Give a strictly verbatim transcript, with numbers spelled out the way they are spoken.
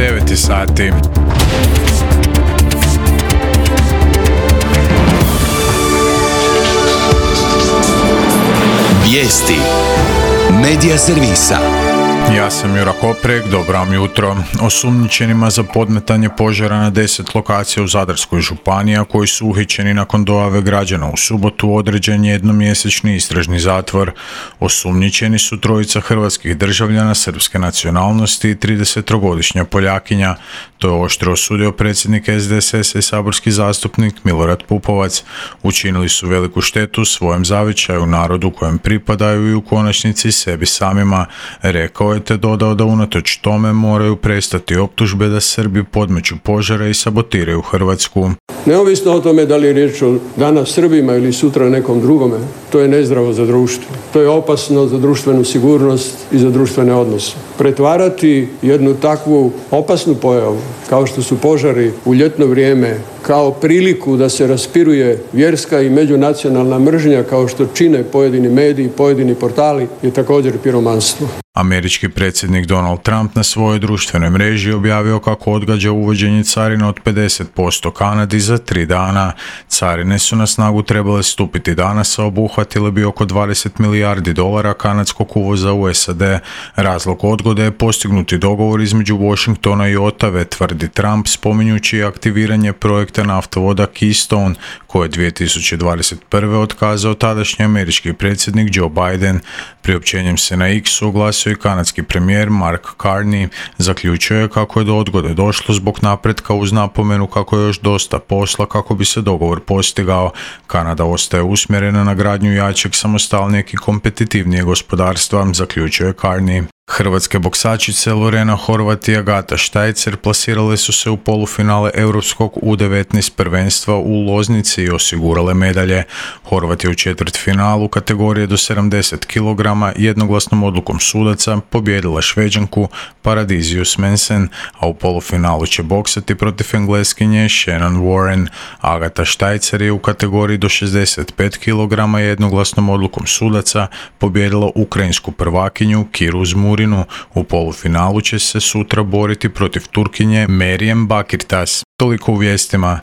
devet sati. Vijesti Medija servisa. Ja sam Jura Koprek, dobro vam jutro. Osumnjičenima za podmetanje požara na deset lokacija u Zadarskoj županiji, a koji su uhićeni nakon dojave građana u subotu, određen je jednomjesečni istražni zatvor. Osumnjičeni su trojica hrvatskih državljana srpske nacionalnosti i tridesettrogodišnja Poljakinja. To je oštro osudio predsjednik S D S S-a i saborski zastupnik Milorad Pupovac. Učinili su veliku štetu svojem zavičaju, narodu kojem pripadaju i u konačnici sebi samima, rekao je, te dodao da unatoč tome moraju prestati optužbe da Srbi podmeću požare i sabotiraju Hrvatsku. Neovisno o tome da li je riječ o danas Srbima ili sutra nekom drugome, to je nezdravo za društvo. To je opasno za društvenu sigurnost i za društvene odnose. Pretvarati jednu takvu opasnu pojavu, kao što su požari u ljetno vrijeme, kao priliku da se raspiruje vjerska i međunacionalna mržnja, kao što čine pojedini mediji, pojedini portali, je također piromanstvo. Američki predsjednik Donald Trump na svojoj društvenoj mreži objavio kako odgađa uvođenje carina od pedeset posto Kanadi za tri dana. Carine su na snagu trebale stupiti danas, a obuhvatile bi oko dvadeset milijardi dolara kanadskog uvoza u S A D. Razlog odgode je postignuti dogovor između Washingtona i Ottave, tvrdi Trump, spominjući aktiviranje projekta naftovoda Keystone, koje je dvije tisuće dvadeset prve otkazao tadašnji američki predsjednik Joe Biden. Priopćenjem se na X oglasio i kanadski premijer Mark Carney. Zaključio je kako je do odgode došlo zbog napretka, uz napomenu kako je još dosta posla kako bi se dogovor postigao. Kanada ostaje usmjerena na gradnju jačeg, samostalnijeg i kompetitivnijeg gospodarstva, zaključio je Carney. Hrvatske boksačice Lorena Horvat i Agata Štajcer plasirale su se u polufinale Europskog U devetnaest prvenstva u Loznici i osigurale medalje. Horvat je u četvrtfinalu kategorije do sedamdeset kilograma jednoglasnom odlukom sudaca pobijedila Šveđanku Paradiziju Smensen, a u polufinalu će boksati protiv Engleskinje Shannon Warren. Agata Štajcer je u kategoriji do šezdeset pet kilograma jednoglasnom odlukom sudaca pobijedila ukrajinsku prvakinju Kiru Zmurinu. U polufinalu će se sutra boriti protiv Turkinje Merijem Bakirtas. Toliko u vijestima.